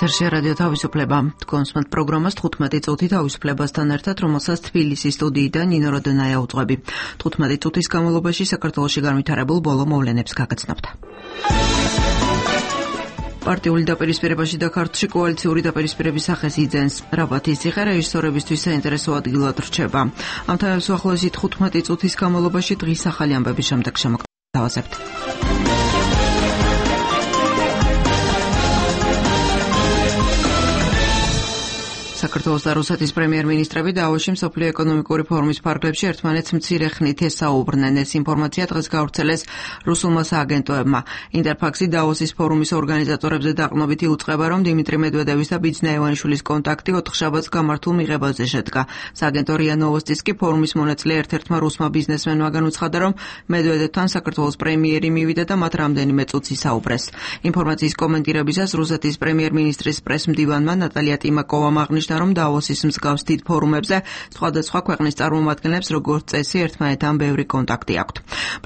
ეთერში რადიო თავისუფლება. თქვენს მათ პროგრამას 15 წუთი თავისუფლებასთან ერთად, რომელსაც თბილისის სტუდიიდან ნინო როდონაია უძღვები. 15 წუთის განმავლობაში საქართველოში განვითარებულ ბოლო მოვლენებს გაგაცნობთ. პარტიული დაპირისპირებაში და ქართლში კოალიციური დაპირისპირების სახეს იძენს. რაბათის ციხე რეჟისორებისთვის საინტერესო ადგილად რჩება. ამ თემებს უახლოესი 15 წუთის განმავლობაში დღის ახალი ამბების შემდეგ შემოგთავაზებთ. საქართველოს და რუსეთის პრემიერ-მინისტრები დავოში მსოფლიო ეკონომიკური ფორუმის ფარგლებში ერთმანეთს მცირე ხნით ესაუბრნენ. ეს ინფორმაცია დღეს გავრცელეს რუსულმა სააგენტოებმა. ინტერფაქსი დავოსის ფორუმის ორგანიზატორებზე დაყრდნობით იუწყება, რომ დიმიტრი მედვედევის და ბიძინა ივანიშვილის კონტაქტი 4 შაბათს გამართულ მიღებაზე შედგა. სააგენტო რია ნოვოსტის კი ფორუმის მონაწილე ერთ-ერთმა რუსმა ბიზნესმენმა განუცხადა, რომ მედვედევთან საქართველოს პრემიერი მივიდა და მათ რამდენიმე წუთს ისაუბრეს. ინფორმაციის კომენტირებისას რუსეთის პრემიერ-მინისტრის პრესმდივანმა ნატალია ტიმაკოვამ აღნიშნა, რომ დავოსის მსგავს დიდ ფორუმებზე სხვადასხვა ქვეყნის წარმომადგენლებს როგორც წესი ერთმანეთთან ბევრი კონტაქტი აქვთ.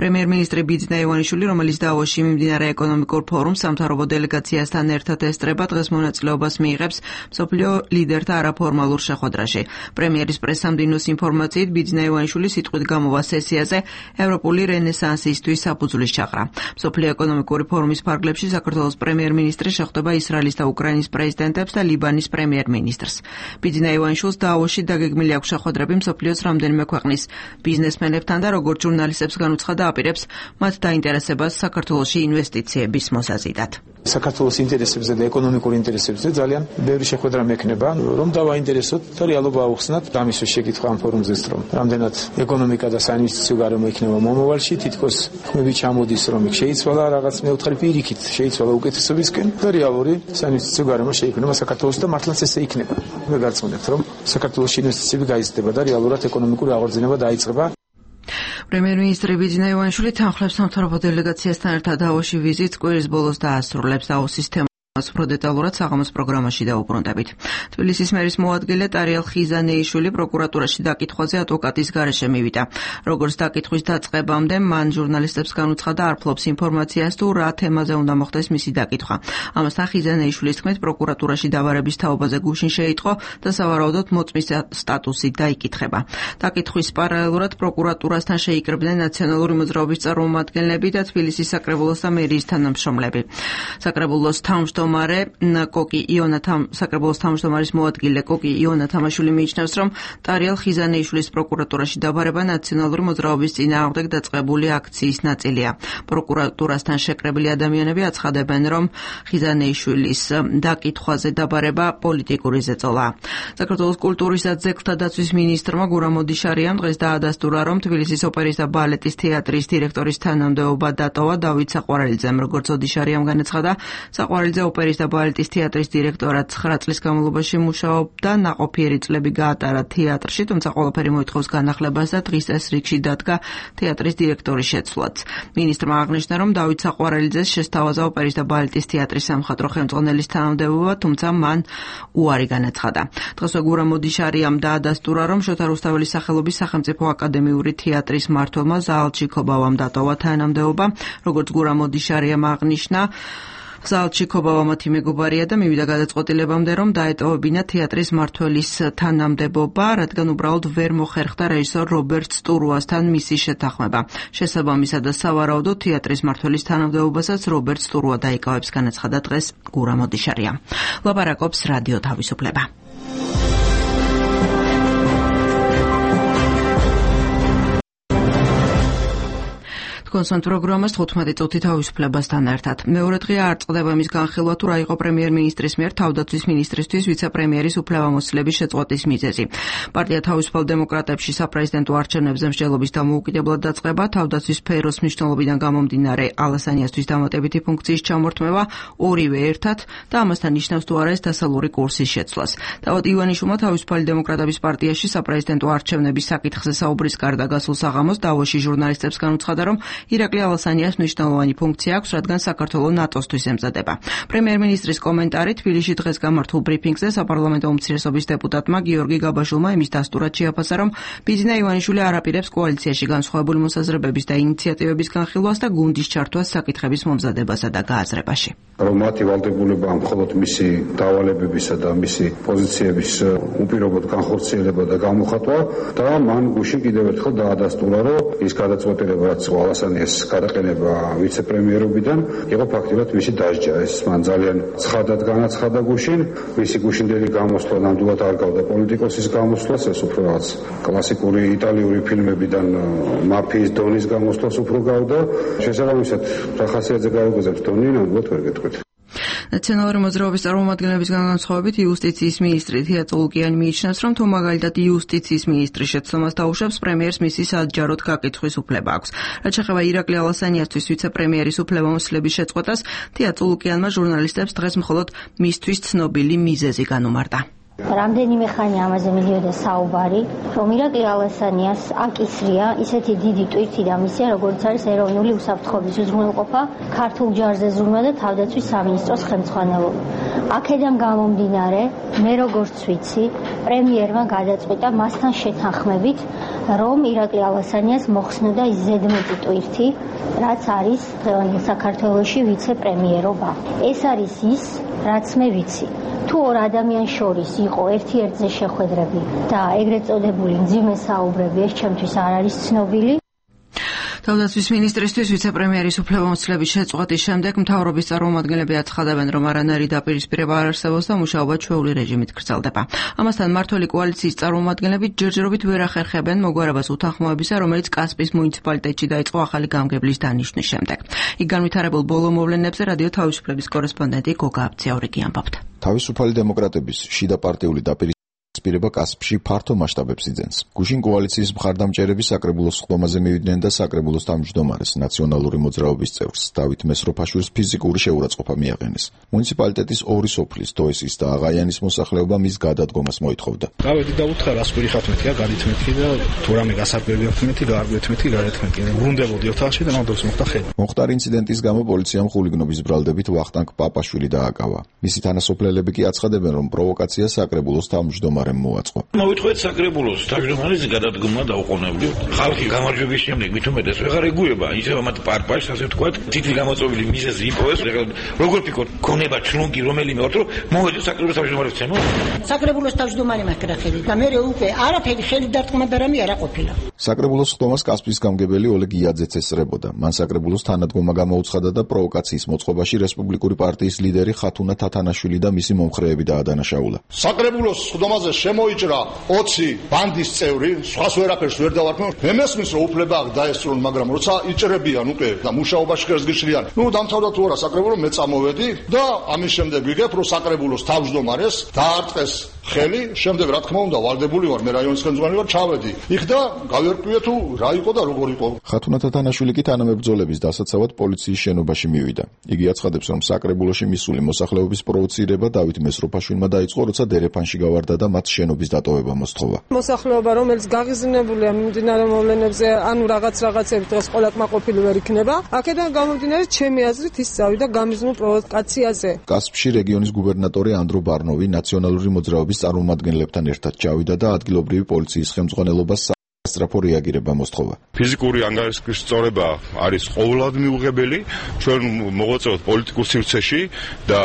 პრემიერ-მინისტრი ბიძინა ივანიშვილი, რომელიც დავოსში მიმდინარე ეკონომიკურ ფორუმს სამთავრობო დელეგაციასთან ერთად ესწრება, დღეს მონაწილეობას მიიღებს მსოფლიო ლიდერთა არაფორმალურ შეხვედრაში. პრემიერის პრესამდინოს ინფორმაციით ბიძინა ივანიშვილი სიტყვით გამოვა სესიაზე ევროპული რენესანსისთვის საფუძვლის ჩაყრა. მსოფლიო ეკონომიკური ფორუმის ფარგლებში საქართველოს პრემიერ-მინისტრი შეხვდება ისრაელის და უკრაინის პრეზიდენტებს და ლიბანის პრემიერ-მინისტრს. ბიძინა ივანიშვილს დავოში დაგეგმილი აქვს შეხვედრები მსოფლიოს რამდენიმე ქვეყნის ბიზნესმენებთან და როგორც ჟურნალისტებს განუცხადა, აპირებს მათ დაინტერესებას საქართველოში ინვესტიციების მოსაზიდად. საქართველოს ინტერესებზე და ეკონომიკურ ინტერესებზე ძალიან ბევრი შეხვედრა მექნება, რომ დავაინტერესოთ და რეალობა აუხსნათ. ამის შეკითხვა ამ ფორუმზეც, რომ რამდენად ეკონომიკა და საინვესტიციო გარემო იქნება მომავალში, თითქოს ხმები ჩამოდის, რომ იქ შეიცვალა რაღაც მეოთხე პირიქით, შეიცვალა უკეთესობისკენ და რეალური საინვესტიციო გარემო შეიქმნება საქართველოს და მართლაც ესე იქნება. მე გარწმუნებთ, რომ საქართველოს ინვესტიციები გაიზრდება და რეალურად ეკონომიკური აღორძინება დაიწყება. პრემიერ-მინისტრი ბიძინა ივანიშვილი თანხლებს სამთავრობო დელეგაციასთან ერთად დავოში ვიზიტს კვირის ბოლოს დაასრულებს. დავოსის თემას უფრო დეტალურად საღამოს პროგრამაში დავუბრუნდებით. თბილისის მერის მოადგილე ტარიელ ხიზანეიშვილი პროკურატურაში დაკითხვაზე ადვოკატის გარეშე მივიდა. როგორც დაკითხვის დაწყებამდე მან ჟურნალისტებს განუცხადა, არ ფლობს ინფორმაციას თუ რა თემაზე უნდა მოხდეს მისი დაკითხვა. ამასთან ხიზანეიშვილის თქმით, პროკურატურაში დავარების თაობაზე გუშინ შეიტყო და სავარაუდოდ მოწმის სტატუსი დაიკითხება. დაკითხვის პარალელურად პროკურატურასთან შეიკრიბნენ ნაციონალური მოძრაობის წარმომადგენლები და თბილისის საკრებულოს და მერიის თანამშრომლები. საკრებულოს საკრებულოს თავმჯდომარის მოადგილე კოკი იონა თამაშვილი მიიჩნევს, რომ ტარიელ ხიზანეიშვილის პროკურატურაში დაბარება ნაციონალური მოძრაობის წინააღმდეგ დაწყებული აქციის ნაწილია. პროკურატურასთან შეკრებილი ადამიანები აცხადებენ, რომ ხიზანეიშვილის დაკითხვაზე დაბარება პოლიტიკური ზეწოლაა. საქართველოს კულტურის და ძეგლთა დაცვის მინისტრმა გურამ ოდიშარიამ დღეს დაადასტურა, რომ თბილისის ოპერის და ბალეტის თეატრის დირექტორის თანამდებობა დატოვა დავით საყვარელიძემ. როგორც ოდიშარიამ განაცხადა, საყვარელიძე ოპერის და ბალეტის თეატრის დირექტორად 9 წლის განმავლობაში მუშაობდა, ნაყოფიერი წლები გაატარა თეატრში, თუმცა ყველაფერი მოითხოვს განახლებას და დღის წესრიგში დადგა თეატრის დირექტორის შეცვლაც. მინისტრმა აღნიშნა, რომ დავით საყვარელიძეს შესთავაზა ოპერის და ბალეტის თეატრის სამხატვრო ხელმძღვანელის თანამდებობა, თუმცა მან უარი განაცხადა. დღესვე გურამ ოდიშარიამ დაადასტურა, რომ შოთა რუსთაველის სახელობის სახელმწიფო აკადემიური თეატრის მმართველმა ზაალჩიკოვამ დატოვა თანამდებობა. როგორც გურამ ოდიშარიამ აღნიშნა, ზაალჩიკოვა მათი მეგობარია და მივიდა გადაწყვეტილებამდე, რომ დაეტოვებინა თეატრის მმართველის თანამდებობა, რადგან უბრალოდ ვერ მოხერხდა რეჟისორ რობერტ სტურუასთან მისი შეთანხმება. შესაბამისად და სავარაუდოდ თეატრის მმართველის თანამდებობასაც რობერტ სტურუა დაიკავებს, განაცხადა დღეს გურამ ოდიშარიამ. ლაპარაკობს რადიო თავისუფლება. კონსონტ პროგრამას 15 წუთი თავისუფლებასთან ერთად. მეორე დღე არ წყდება იმის განხილვა, თუ რა იყო პრემიერ-მინისტრის მიერ თავდაცვის მინისტრისთვის ვიცე-პრემიერის უფლებამოსილების შეწყვეტის მიზეზი. პარტია თავისუფალ დემოკრატებში საპრეზიდენტო არჩევნებზე მსჯელობის დამოუკიდებლად დაწყება, თავდაცვის სფეროს მნიშვნელობიდან გამომდინარე ალასანიასთვის დამატებითი ფუნქციის ჩამორთმევა, ორივე ერთად და ამასთან ნიშნავს თუ არა ეს დასალური კურსის შეცვლას. თავად ივანიშვილმა თავისუფალი დემოკრატების პარტიაში საპრეზიდენტო არჩევნების საკითხზე საუბრის გარდა გასულ საღამოს დავოში ჟურნალისტებს განუცხადა, რომ ირაკლი ალასანიას მნიშვნელოვანი ფუნქცია აქვს, რადგან საქართველო ნატოსთვის ემზადება. პრემიერ-მინისტრის კომენტარი თბილისში დღეს გამართულ ბრიფინგზე საპარლამენტო უმცირესობის დეპუტატმა გიორგი გაბაშვილმა იმის დასტურად შეაფასა, რომ ბიძინა ივანიშვილი არ აპირებს კოალიციაში განსხვავებული მოსაზრებების და ინიციატივების განხილვას და გუნდის ჩართვას საკითხების მომზადებასა და გააზრებაში. რომ მათი ვალდებულება მხოლოდ მისი დავალებებისა და მისი პოზიციების უპირობოდ განხორციელება და გამოხატვა და მან გუშინ კიდევ ერთხელ დაადასტურა, რომ ის გადაწყვეტილება, რაც ალასანიას გადაყენება ვიცე-პრემიერობიდან, იყო ფაქტიურად მისი დასჯა. ეს მან ძალიან ცხადად განაცხადა გუშინ, მისი გუშინდელი გამოსვლა ნამდვილად არ გავდა პოლიტიკოსის გამოსვლას, ეს უფრო რაღაც კლასიკური იტალიური ფილმებიდან მაფიის დონის გამოსვლას უფრო გავდა. შესაბამისად, რა ხასიათზე გაუგზავნებს დონი, ნამდვილად ვერ გეტყვით. ნაციონალური მოძრაობის წარმომადგენლებისგან განსხვავებით იუსტიციის მინისტრი თეატრო ლუკიანი მიიჩნევს, რომ თუ მაგალითად იუსტიციის მინისტრი შეცდომას დაუშვებს, პრემიერს მისი საჯაროდ გაკითხვის უფლება აქვს. რაც შეეხება ირაკლი ალასანიასთვის ვიცე-პრემიერის უფლებამოსილების შეწყვეტას, თეატრო ლუკიანმა ჟურნალისტებს დღეს მხოლოდ მისთვის ცნობილი მიზეზი განუმარტა. რამდენიმე ხანი ამაზე მიდიოდა საუბარი, რომ ირაკლი ალასანიას აკისრია ისეთი დიდი ტვირთი და მისია, როგორც არის ეროვნული უსაფრთხოების უზრუნველყოფა, ქართულ ჯარზე ზრუნვა და თავდაცვის სამინისტროს ხელმძღვანელობა. აქედან გამომდინარე, მე როგორც ვიცი, პრემიერმა გადაწყვიტა მასთან შეთანხმებით, რომ ირაკლი ალასანიას მოხსნოდა ის ზედმეტი ტვირთი, რაც არის დღევანდელ საქართველოში ვიცე-პრემიერობა. ეს არის ის, რაც მე ვიცი. თუ ორ ადამიანს შორის იყო ერთ-ერთზე შეხვედრები და ეგრეთ წოდებული მძიმე საუბრები, ეს ჩემთვის არ არის ცნობილი. თავდაცვის მინისტრისთვის ვიცე-პრემიერის უფლებამოსილების შეწყვეტის შემდეგ მთავრობის წარმომადგენლები აცხადებენ, რომ არანაირი დაპირისპირება არ არსებობს და მუშაობა ჩვეული რეჟიმით გრძელდება. ამასთან მმართველი კოალიციის წარმომადგენლები ჯერჯერობით ვერ ახერხებენ მოგვარებას უთანხმოებისა, რომელიც კასპიის მუნიციპალიტეტში დაიწყო ახალი გამგებლის დანიშვნის შემდეგ. იქ განვითარებულ ბოლო მოვლენებზე რადიო თავისუფლების კორესპონდენტი გოგა აბციაურიგი ამბობდა. თავისუფალი დემოკრატების შიდა პარტიული დაპირისპირება კასპში ფართო მასშტაბებს იძენს. გუშინ კოალიციის მხარდამჭერები საკრებულოს სხდომაზე მივიდნენ და საკრებულოს თავმჯდომარეს ნაციონალური მოძრაობის წევრს დავით მესროფაშვილს ფიზიკური შეურაცხყოფა მიაყენეს. მუნიციპალიტეტის ორი სოფლის დოესის და აღაიანის მოსახლეობა მის გადადგომას მოითხოვდა. გავედი და უთხრა რას პირიხავთ მეთქია, გადითმეთქი და თუ რამე გასაკვირვებია მეთქი, გაარგვეთმეთქი, გარეთმეთქი. ბრუნდებოდი ოთახში და მაგდროს მოხდა ხედვა. მოხდარ ინციდენტის გამო პოლიციამ ხულიგნობის ბრალდებით ვახტანგ პაპაშვილი დააკავა. მისი თანასოფლელები კი აცხადებენ, რომ პროვოკაცია საკრებულოს თავმჯდომარემ მოაწყო. მოვიტყვეთ საკრებულოს თავმჯდომარის გადადგომა დაუყოვნებლივ. ხალხი გამარჯვების შემდეგ მით უმეტეს ვეღარ ეგუება, ისევ მათ პარპაშს, ასე ვთქვათ, თითი გამოწვეული მიზეზი იპოვეს. როგორ ფიქრობთ, ქონება ჩლუნგი რომელიმე ვარ, რომ მოვედი საკრებულოს თავმჯდომარეს ცემო? საკრებულოს თავმჯდომარე მაქვს ხელი და მე უკვე არაფერი ხელი დარტყმა და რამე არა ყოფილა. საკრებულოს სხდომას კასპიის გამგებელი ოლეგ იაძეც ესწრებოდა. მან საკრებულოს თანადგომა გამოუცხადა და პროვოკაციის მოწყობაში რესპუბლიკური პარტიის ლიდერი ხათუნა თათანაშვილი და მისი მომხრეები დაადანაშაულა. საკრებულოს სხდომაზე შემოიჭრა 20 ბანდის წევრი, სხვას ვერაფერს ვერ დავარქმევ. მე მესმის რომ უფლება აქვს დაესწრონ, მაგრამ როცა იჭრებიან უკვე და მუშაობაში ხერს გიშლიან, დამთავრდა თუ არა საკრებულო, მე წამოვედი და ამის შემდეგ ვიგებ რომ საკრებულოს თავმჯდომარეს დაარტყეს ხელი, შემდეგ რა თქმა უნდა ვალდებული ვარ, მე რაიონის ხელმძღვანელი ვარ, ჩავედი. იქ და გავერკვიე თუ რა იყო და როგორ იყო. ხათუნა თათანაშვილი კი თანამებრძოლების დასაცავად პოლიციის შენობაში მივიდა. იგი აცხადებს, რომ საკრებულოში მისული მოსახლეობის პროვოცირება დავით მესროფაშვილმა დაიწყო, როცა დერეფანში გავარდა და მათ შენობის დატოვება მოსთხოვა. მოსახლეობა, რომელიც გაღიზნებულია მიმდინარე მოვლენებზე, ანუ რაღაცებით დღეს ყველა კმაყოფილი ვერ იქნება, აქედან გამომდინარე ჩემი აზრით ის წავიდა გამიზნულ პროვოკაციაზე. კასპში რეგიონის გუბერნატორი ანდრო ბარნოვი ნაციონალური მოძრაობის წარმომადგენლებთან ერთად ჩავიდა და ადგილობრივი პოლიციის ხელმძღვანელობას სასწრაფო რეაგირება მოსთხოვა. ფიზიკური ანგარიშის სწორება არის ყოველად მიუღებელი. ჩვენ მოღვაწეობთ პოლიტიკურ სივრცეში და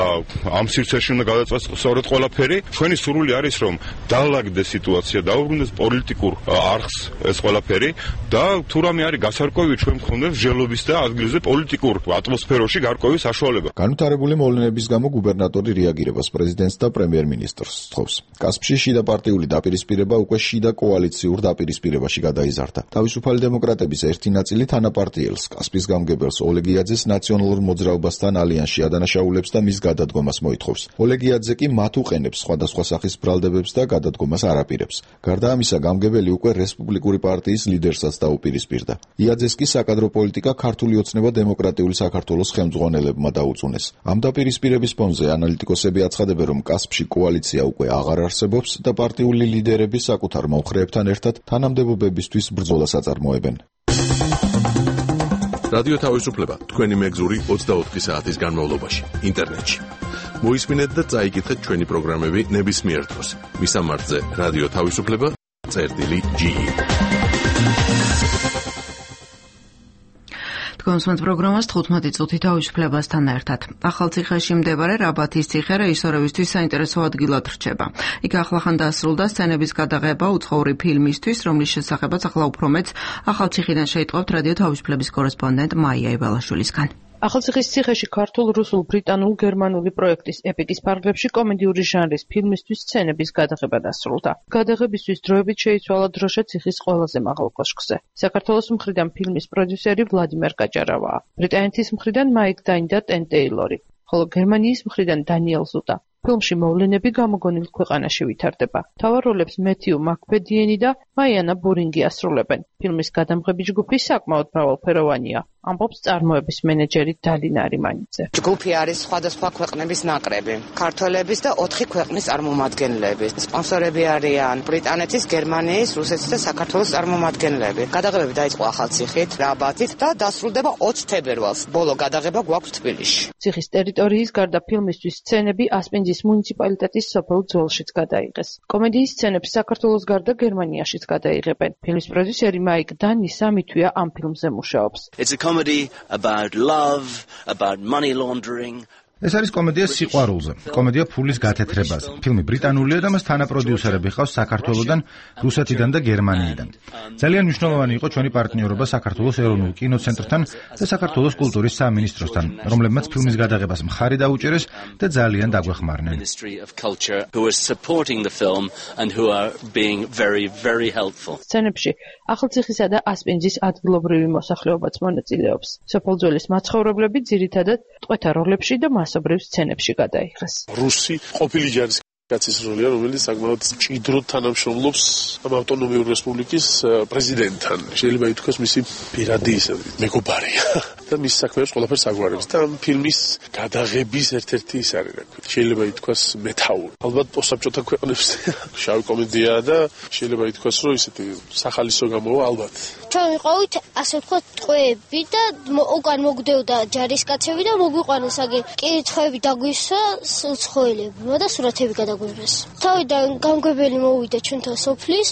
ამ სივრცეში უნდა გადაწყვეტს სწორედ ყველაფერი. ჩვენი სურვილი არის, რომ დაალაგდეს სიტუაცია, დაუბრუნდეს პოლიტიკურ არხს ეს ყველაფერი და თუ რამე არის გასარკვევი, ჩვენ მქონდეს მსჯელობის და ადგილზე პოლიტიკურ ატმოსფეროში გარკვევი საშუალება. განვითარებული მოვლენების გამო გუბერნატორი რეაგირებას პრეზიდენტს და პრემიერ-მინისტრს სთხოვს. კასპში შიდა პარტიული დაპირისპირება უკვე შიდა კოალიციურ დაპირისპირებაში გადაიზარდა. თავისუფალი დემოკრატების ერთი ნაწილი თანაპარტიელს, კასპის გამგებელს ოლეგ იაძეს ნაციონალურ მოძრაობასთან ალიანსში ადანაშაულებს და მის გადადგომას მოითხოვს. ოლეგ იაძე კი მათ უყენებს სხვადასხვა სახის ბრალდებებს და გადადგომას არ აპირებს. გარდა ამისა, გამგებელი უკვე რესპუბლიკური პარტიის ლიდერსაც დაუპირისპირდა. იაძეს კი საკადრო პოლიტიკა ქართული ოცნება დემოკრატიული საქართველოს ხელმძღვანელებმა დაუწუნეს. ამ დაპირისპირების ფონზე ანალიტიკოსები აცხადებენ, რომ კასპში კოალიცია უკვე აღარ არსებობს და პარტიული ლიდერები საკუთარ მომხრეებთან ერთად თანამდებობებისთვის ბრძოლას აწარმოებენ. რადიო თავისუფლება თქვენი მეგზური 24 საათის განმავლობაში ინტერნეტში. მოისმინეთ და წაიკითხეთ ჩვენი პროგრამები ნებისმიერ დროს. მისამართზე რადიო თავისუფლება.ge. კონსუმენტ პროგრამას 15 წუთი თავისუფლებასთან ერთად. ახალციხეში მდებარე რაბათის ციხე რეჟისორებისთვის საინტერესო ადგილად რჩება. იქ ახლახან დასრულდა სცენების გადაღება უცხოური ფილმისთვის, რომლის შესახებაც ახლა უფრო მეც ახალციხიდან შეიტყობთ რადიო თავისუფლების კორესპონდენტ მაია იბალაშვილისგან. ახალციხის ციხეში ქართულ, რუსულ, ბრიტანულ, გერმანული პროექტის ეპიკის ფარგლებში კომედიური ჟანრის ფილმისთვის სცენების გადაღება დასრულდა. გადაღებისთვის დროებით შეიცვალა დროშა ციხის ყველაზე მაღალ კოშკზე. საქართველოს მხრიდან ფილმის პროდიუსერი ვლადიმერ გაჭარავაა. ბრიტანეთის მხრიდან მაიკ დაინ და ტენ ტეილორი, ხოლო გერმანიის მხრიდან დანიელ ზუტა. ფილმში მოვლენები გამოგონილ ქვეყანაში ვითარდება. მთავარ როლებს მეთიუ მაკფედიენი და მაიანა ბურინგი ასრულებენ. ფილმის გადამღები ჯგუფი საკმაოდ მრავალფეროვანია. ამბობს წარმოების მენეჯერი დალინა არიმანიძე. ჯგუფი არის სხვადასხვა ქვეყნების ნაკრები. ქართველების და 4 ქვეყნის წარმომადგენლები. სპონსორები არიან ბრიტანეთის, გერმანიის, რუსეთის და საქართველოს წარმომადგენლები. გადაღებები დაიწყო ახალციხით, რაბათით და დასრულდება 20 თებერვალს. ბოლო გადაღება გვაქვს თბილისში. ციხის ტერიტორიის გარდა ფილმისთვის სცენები ასპინძის მუნიციპალიტეტის სოფელ ძველშიც გადაიღეს. კომედიის სცენებს საქართველოს გარდა გერმანიაშიც გადაიღებენ. ფილმის პროდიუსერი მაიკ დანი 3 თვეა ამ ფილმზე მუშაობს. Comedy about love, about money laundering. ეს არის კომედია სიყვარულზე, კომედია ფულის გათეთრებაზე. ფილმი ბრიტანულია და მას თანაპროდიუსერები ყავს საქართველოსდან, რუსეთიდან და გერმანიიდან. ძალიან მნიშვნელოვანი იყო ჩვენი პარტნიორობა საქართველოს ეროვნულ კინოცენტრთან და საქართველოს კულტურის სამინისტროსთან, რომლებმაც ფილმის გადაღებას მხარი დაუჭერეს და ძალიან დაგვეხმარნენ. სცენებში ახალციხისა და ასპინძის ადგილობრივი მოსახლეობაც მონაწილეობს. სოფელძველის მაცხოვრებლები ძირითადად ტყვეთა როლებში და მასობრივ სცენებში გადაიღეს. რუსი ყოფილი ჯარის კაცის როლია, რომელიც საკმაოდ მჭიდროდ თანამშრომლობს ამ ავტონომიური რესპუბლიკის პრეზიდენტთან. შეიძლება ითქვას მისი პირადი მეგობარია და მის საქმეებს ყველაფერს აგვარებს და ამ ფილმის გადაღების ერთ-ერთი ის არის, შეიძლება ითქვას მეთაური. ალბათ პოსტსაბჭოთა ქვეყნებს შავი კომედიაა და შეიძლება ითქვას, რომ ისეთი სახალისო გამოვა ალბათ. ჩვენ ვიყავით ასე ვთქვათ ტყვეები და უკან მოგდევდა ჯარისკაცები და მოგვიყვანეს აგი კირითხვები დაგვისვა უცხოელებმა და სურათები გადაგვიღეს. თავიდან გამგებელი მოვიდა ჩვენთან სოფლის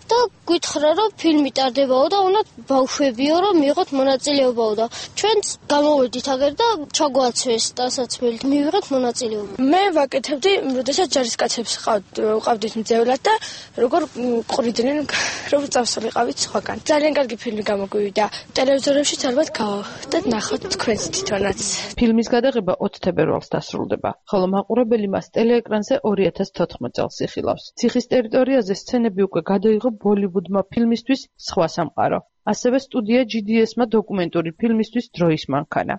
და გითხრა რომ ფილმი ტარდებაო და უნდა ბავშვებიო რომ მიიღოთ მონაწილეობაო და ჩვენც გამოვედით აგერ და ჩაგვაცვეს დასაცმელით მივიღეთ მონაწილეობა. მე ვაკეთებდი, როდესაც ჯარისკაცებს ყავდით მძევლად და როგორ ყრიდნენ, რომ წავსულიყავით სხვაგან. ძალიან კარგი ფილმი გამოგვივიდა. ტელევიზორებშიც ალბათ გავდეთ ნახოთ თქვენს თვითონაც. ფილმის გადაღება 20 თებერვალს დასრულდება, ხოლო მაყურებელი მას ტელეეკრანზე 2014 წელს იხილავს. ციხის ტერიტორიაზე სცენები უკვე გადაიღო ბოლივუდმა ფილმისთვის სხვა სამყარო. ასევე სტუდია GDS-მა დოკუმენტური ფილმისთვის დროის მანქანა.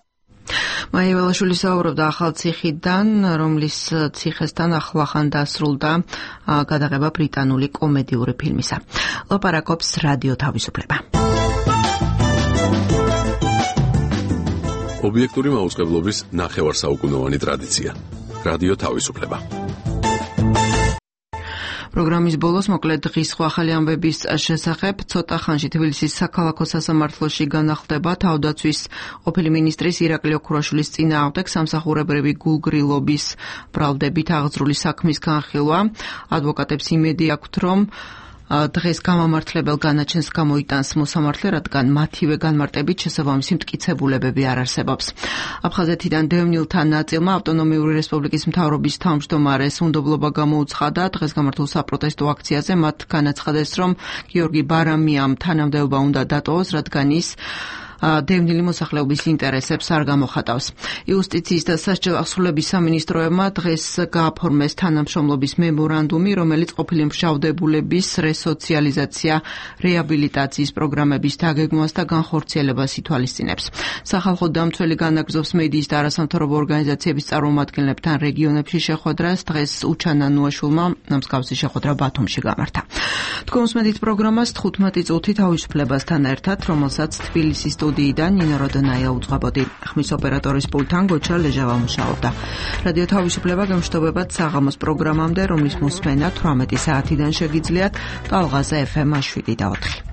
მაია იბალაშვილი საუბრობდა ახალციხიდან, რომლის ციხესთან ახლახან დასრულდა გადაღება ბრიტანული კომედიური ფილმისა. ლაპარაკობს რადიო თავისუფლება. ობიექტური მაუწყებლობის ნახევარსაუკუნოვანი ტრადიცია. რადიო თავისუფლება. პროგრამის ბოლოს მოკლედ დღის სხვა ახალი ამბების შესახებ ცოტა ხანში თბილისის საქალაქო სასამართლოში განახლდება თავდაცვის ყოფილი მინისტრის ირაკლი ოქროაშვილის წინააღმდეგ სამსახურებრივი გულგრილობის ბრალდებით აღძრული საქმის განხილვა. ადვოკატებს იმედი აქვთ, რომ დღეს გამამართლებელ განაჩენს გამოიტანს მოსამართლე, რადგან მათივე განმარტებით შესაბამისი მტკიცებულებები არ არსებობს. აფხაზეთიდან დევნილთა ნაწილმა ავტონომიური რესპუბლიკის მთავრობის თავმჯდომარეს უნდობლობა გამოუცხადა. დღეს გამართულ საპროტესტო აქციაზე მათ განაცხადეს, რომ გიორგი ბარამიამ თანამდებობა უნდა დატოვოს, რადგან ის დევნილი მოსახლეობის ინტერესებს არ გამოხატავს. იუსტიციის და სასჯელ აღსრულების სამინისტროებმა დღეს გააფორმეს თანამშრომლობის მემორანდუმი, რომელიც ყოფილი მშავდებულების რესოციალიზაცია, რეაბილიტაციის პროგრამების დაგეგმვას და განხორციელებას ითვალისწინებს. სახალხო დამცველი განაგრძობს მედიის და არასამთავრობო ორგანიზაციების წარმომადგენლებთან რეგიონებში შეხვედრას. დღეს უჩანა ნუაშვილმა მსგავსი შეხვედრა ბათუმში გამართა. თქვენ უსმენთ პროგრამას 15 წუთი თავისუფლებასთან ერთად, რომელსაც თბილისის სტუდიიდან ნინო როდონაია უძღვებოდი. ხმის ოპერატორის პულტთან გოჩა ლეჟავა მუშაობდა. რადიო თავისუფლება გემშვიდობებათ საღამოს პროგრამამდე, რომლის მოსმენა 18 საათიდან შეგიძლიათ ტალღაზე FM 7 და 4.